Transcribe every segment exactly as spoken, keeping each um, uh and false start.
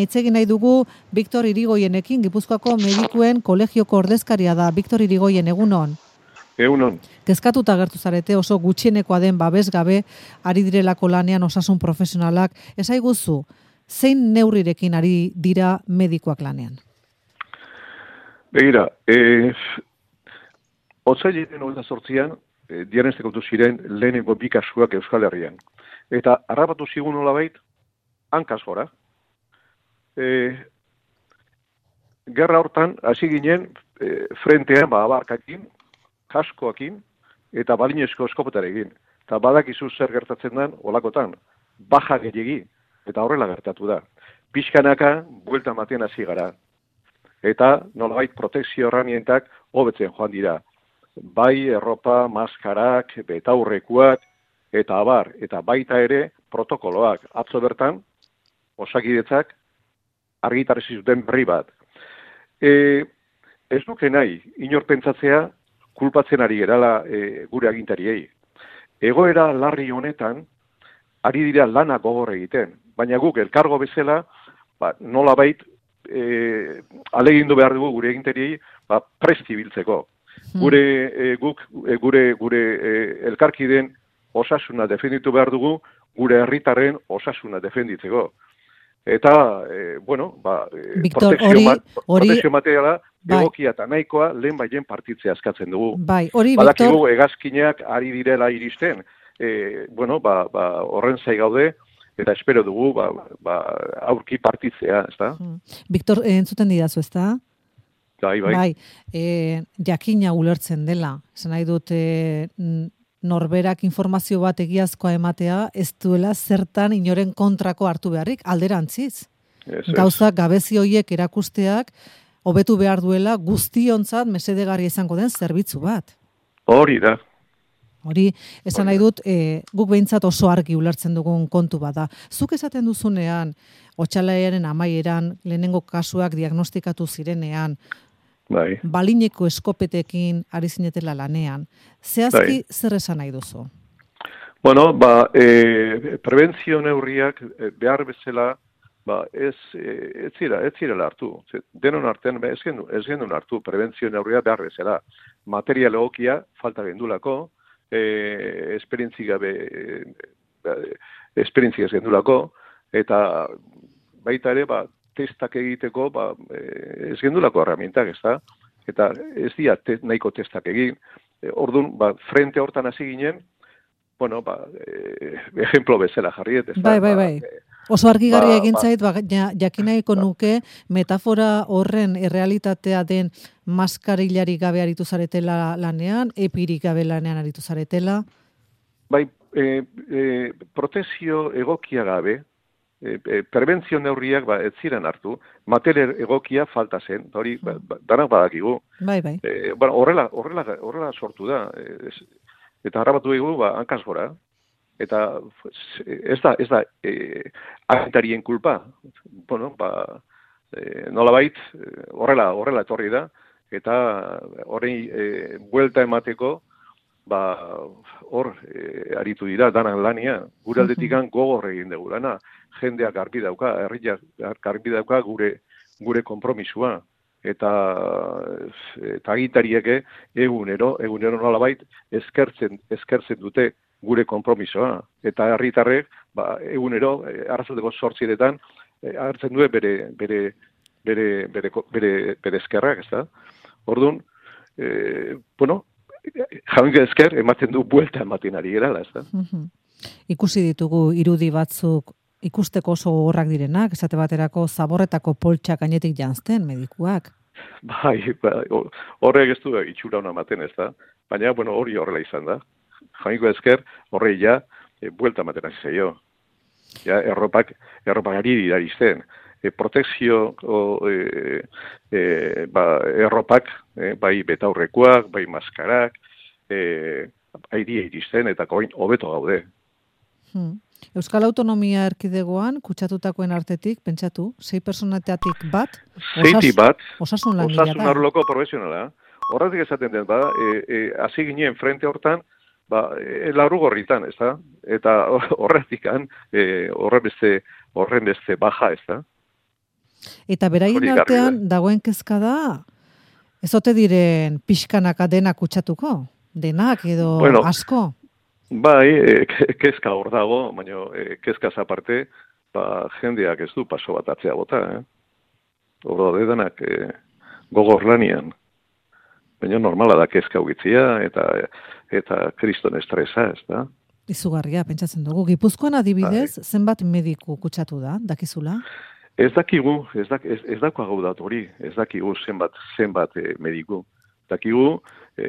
Hitz egin nahi dugu Victor Irigoyenekin, Gipuzkoako medikuen kolegioko ordezkaria da. Victor Irigoyen, egunon. Egunon. Kezkatuta agertu zarete oso gutxienekoa den babes gabe ari direlako lanean osasun profesionalak. Esaiguzu, zein neurrirekin ari dira medikoak lanean? Begira, eh, otsailaren hogeita zortzian eh, diagnostikatu ziren lehenengo bi kasuak Euskal Herrian. Eta harrapatu zigun nolabait, hankaz gora. Eh, gerra hortan, hasi ginen, eh, frentean, ba, abarkakin, kaskoakin, eta balinezko eskopetarekin. Eta badakizu zer gertatzen den, olakotan, baja gehiagi, eta horrela gertatu da. Pixkanaka, buelta matean hasi gara. Eta nolabait protekzio herramientak hobetzen joan dira. Bai erropa, maskarak, betaurrekuak, eta abar, eta baita ere protokoloak. Atzo bertan, Osakidetzak argitarezi zuten berri bat. E, ez duke nahi, inor pentsatzea, kulpatzen ari gerala e, gure agintariei. Egoera larri honetan, ari dira lana gogor egiten, baina guk elkargo bezala, ba, nolabait, e, alegindu behar dugu gure agintariei, ba, presti biltzeko. Gure, e, guk, e, gure, gure e, elkarkiden osasuna defenditu behar dugu, gure herritarren osasuna defenditzeko. Eta, e, bueno, ba, Victor, protekzio, hori, hori, protekzio materiala bai, egokia eta nahikoa lehen baien partitzea eskatzen dugu. Bai, hori, Badakigu Victor, hegazkinak ari direla iristen, e, bueno, ba, ba, horren zai gaude, eta espero dugu ba, ba, aurki partitzea, ez da? Victor, entzuten didazu, ez da? Bai, bai. Bai, e, jakina ulertzen dela, esan nahi dut, e, norberak informazio bat egiazkoa ematea, ez duela zertan inoren kontrako hartu beharrik, alderantziz. Ez, ez. Gauza gabezi horiek erakusteak, hobetu behar duela guztiontzat mesedegarria izango den zerbitzu bat. Hori da. Hori, esan nahi dut, e, guk behintzat oso argi ulertzen dugun kontu bada. Zuk esaten duzunean, otsailaren amaieran, lehenengo kasuak diagnostikatu zirenean, Bai. balineko eskopetekin ari zinetela lanean. Zehazki Bai. zer esan nahi duzu? Bueno, ba, e, prebentzio neurriak e, behar bezala, ba, ez, e, ez zira, ez zirela hartu. Denon artean, ez gendu, ez gendun hartu prebentzio neurria behar bezala. Material egokia falta gendulako, e, esperientzi gabe, e, esperientzi ez gendulako, eta baita ere, ba, testak egiteko, ba, ez gendulako herramientak, ez da? Eta ez dira te, nahiko testak egin. E, orduan, ba, frente hortan hasi ginen, bueno, ba, e, ejemplo bezala jarriet, ez da? Bai, bai, bai. Ba, Oso argigarria ba, egin ba, zait, ba, jakinaiko ba, nuke metafora horren errealitatea den maskarillari gabe aritu zaretela lanean, epirik gabe lanean aritu zaretela. Bai, e, e, protekzio egokia gabe, E, e, prebentzio neurriak ba, ez ziren hartu, material egokia falta zen, hori ba, ba, danak badakigu. Bai, bai. E, bueno, horrela, horrela, horrela sortu da, e, eta harrapatu dugu ba, hankaz gora, eta ez da, ez da e, agintarien kulpa, bueno, ba, e, nolabait, horrela, horrela etorri da, eta horrein e, buelta emateko, ba, hor e, aritu dira, danak lania, gure aldetikan gogor egin dugu lana, jendeak garbi dauka, herriak garbi dauka gure gure konpromisua, eta eta agintariek egunero, egunero nolabait eskertzen, eskertzen dute gure konpromisoa, eta herritarrek ba, egunero, arratsaldeko zortzietan, hartzen dute bere, bere, bere, bere, bere, bere eskerrak, ez da? Orduan, e, bueno, jaunke esker, ematen du buelta ematen ari gerala, ez da? Ikusi ditugu irudi batzuk ikusteko oso gogorrak direnak, esate baterako zaborretako poltsak gainetik janzten medikuak. Bai, ba, horrek ez du itxura hona ematen, ez da? Baina, bueno, hori horrela izan da. Jainko esker, horrei ja, e, buelta ematen hasi zaio. Ja, erropak, erropak ari dira izten. E, protekzio, o, e, e, ba, erropak, e, bai betaurrekoak, bai maskarak, e, airi iristen, eta koin hobeto gaude. Hmm. Euskal Autonomia Erkidegoan, kutsatutakoen artetik, pentsatu, sei personateatik bat, Zeiti bat, osasun langilea da. osasun arloko profesionala. Horretik esaten den, bada, e, e, hasi ginen frente hortan, ba, e, larrugorritan, ez da? Eta horretikan, e, horren beste, horren beste baja, ez da? Eta beraien artean dagoen kezka da, ez ote diren pixkanaka denak kutsatuko? Denak edo bueno, asko? Bai, e, kezka hor dago, baina e, kezkaz aparte, ba, jendeak ez du paso bat atzea bota, eh? Hor da denak e, gogor lanian. Baina normala da kezka ugitzia eta eta kriston estresa, ez da? Izugarria, pentsatzen dugu. Gipuzkoan adibidez, bai. Zenbat mediku kutsatu da, dakizula? Ez dakigu, ez, dak, ez, ez dako hau dat hori, ez dakigu zenbat, zenbat e, mediku. Dakigu, e,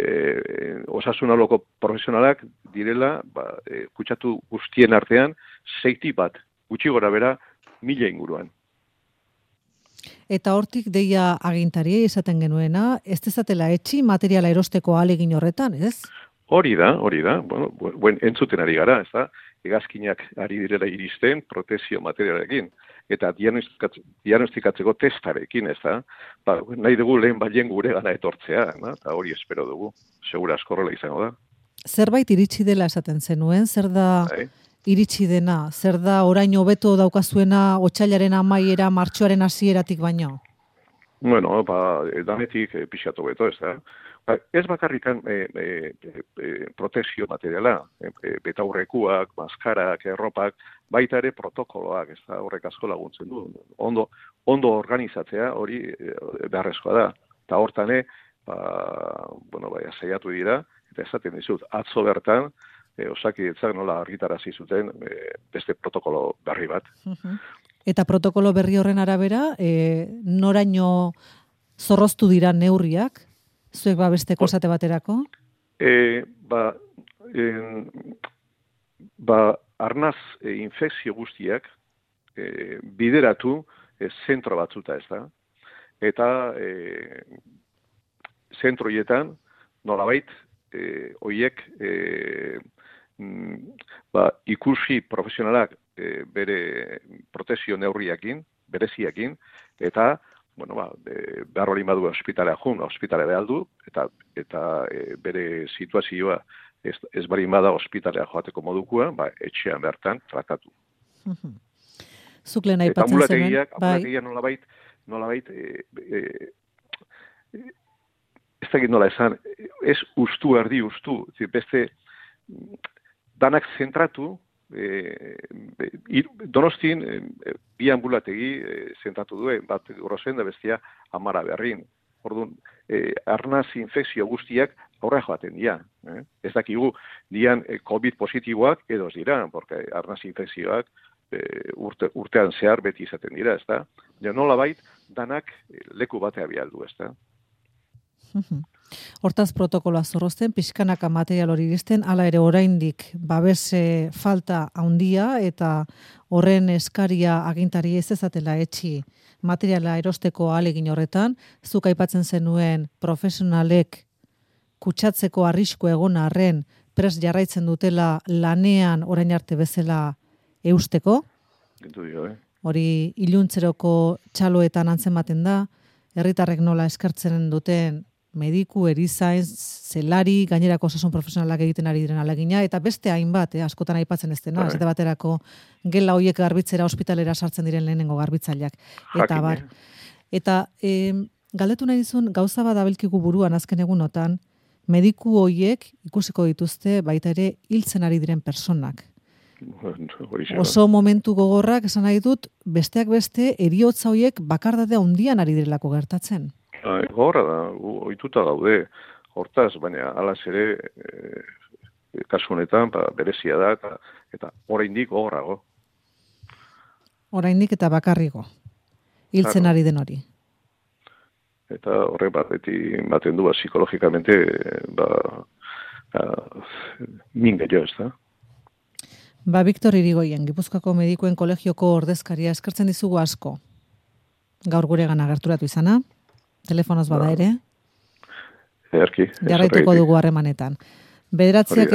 osasunaloko profesionalak direla, ba, e, kutsatu guztien artean, zeiti bat, gutxi gora bera, mila inguruan. Eta hortik deia agintari esaten genuena, ez dezatela etxi materiala erosteko ahalegin horretan, ez? Hori da, hori da, bueno, buen, entzuten ari gara, ez da, hegazkinak ari direla iristen protezio materialekin, eta diagnostikatzeko testarekin, ez da, ba, nahi dugu lehen balien gure gana etortzea, na? Eta hori espero dugu, segura askorrela izango da. Zerbait iritsi dela esaten zenuen, zer da Hai. Iritsi dena, zer da orain hobeto daukazuena otsailaren amaiera, martxoaren hasieratik baino? Bueno, ba, danetik e, pixatu beto, ez da. Ba, ez bakarrikan e, e, e, protezio materiala, e, e, betaurrekuak, maskarak, erropak, baita ere protokoloak, ez da, horrek asko laguntzen du. Ondo, ondo organizatzea hori e, beharrezkoa da. Eta hortane, ba, bueno, bai, saiatu dira, eta esaten dizut, atzo bertan, e, osakidetzak nola argitarazi zuten e, beste protokolo berri bat. Eta protokolo berri horren arabera, e, noraino zorroztu dira neurriak? Zuek ba besteko esate baterako? E, ba, en, ba, arnaz e, infekzio guztiak e, bideratu e, zentro batzuta ez da. Eta e, zentroietan nolabait e, oiek e, ba, ikusi profesionalak e, bere protezio neurriakin, bereziakin, eta bueno, ba, e, behar hori badu ospitalea jun, ospitalea behar du, eta, eta e, bere situazioa ez, ez bari bada ospitalea joateko modukua, ba, etxean bertan tratatu. Zuk lehen aipatzen zenuen, bai. Ambulategiak nolabait, nolabait, e, e, ez dakit nola esan, ez ustu erdi ustu, beste danak zentratu, E, e, Donostin e, bi ambulategi e, zentratu duen, bat Grosen da bestia Amara Berrin. Orduan, e, arnaz infekzio guztiak aurra joaten dira. Eh? Ez dakigu, dian e, COVID positiboak edo ez dira, porque arnaz infekzioak e, urte, urtean zehar beti izaten dira, ez da? Ja, nola bait, danak leku batea bialdu, ez da? Hortaz protokoloa zorrozten, pixkanaka material hori iristen, hala ere oraindik babes falta handia eta horren eskaria agintari ez ezatela etxi materiala erosteko ahalegin horretan, zuk aipatzen zenuen profesionalek kutsatzeko arrisku egon arren prest jarraitzen dutela lanean orain arte bezala eusteko. Eh? Hori iluntzeroko txaloetan antzematen da, herritarrek nola eskartzen duten mediku, erizain, zelari, gainerako osasun profesionalak egiten ari diren alegina, eta beste hainbat, eh, askotan aipatzen ez dena, ez baterako gela hoiek garbitzera ospitalera sartzen diren lehenengo garbitzaileak. Eta bar. Eta eh, galdetu nahi dizun, gauza bat abilkigu buruan azken egunotan, mediku hoiek ikusiko dituzte baita ere hiltzen ari diren personak. Oso momentu gogorrak esan nahi dut, besteak beste eriotza hoiek bakardade handian ari direlako gertatzen. Gogorra da, ohituta gaude, hortaz, baina alaz ere e, kasu honetan ba, berezia da, eta, eta oraindik gogorrago. Oraindik eta bakarrigo, hiltzen ari den hori. Eta horrek bat, beti baten du, ba, psikologikamente, ba, ba, min gehiago ez da. Ba, Victor Irigoyen, Gipuzkoako Medikuen Kolegioko ordezkaria, eskertzen dizugu asko. Gaur gure gana gerturatu izana. Telefonoz bada ere. Erki. Jarraituko dugu harremanetan. Bederatziak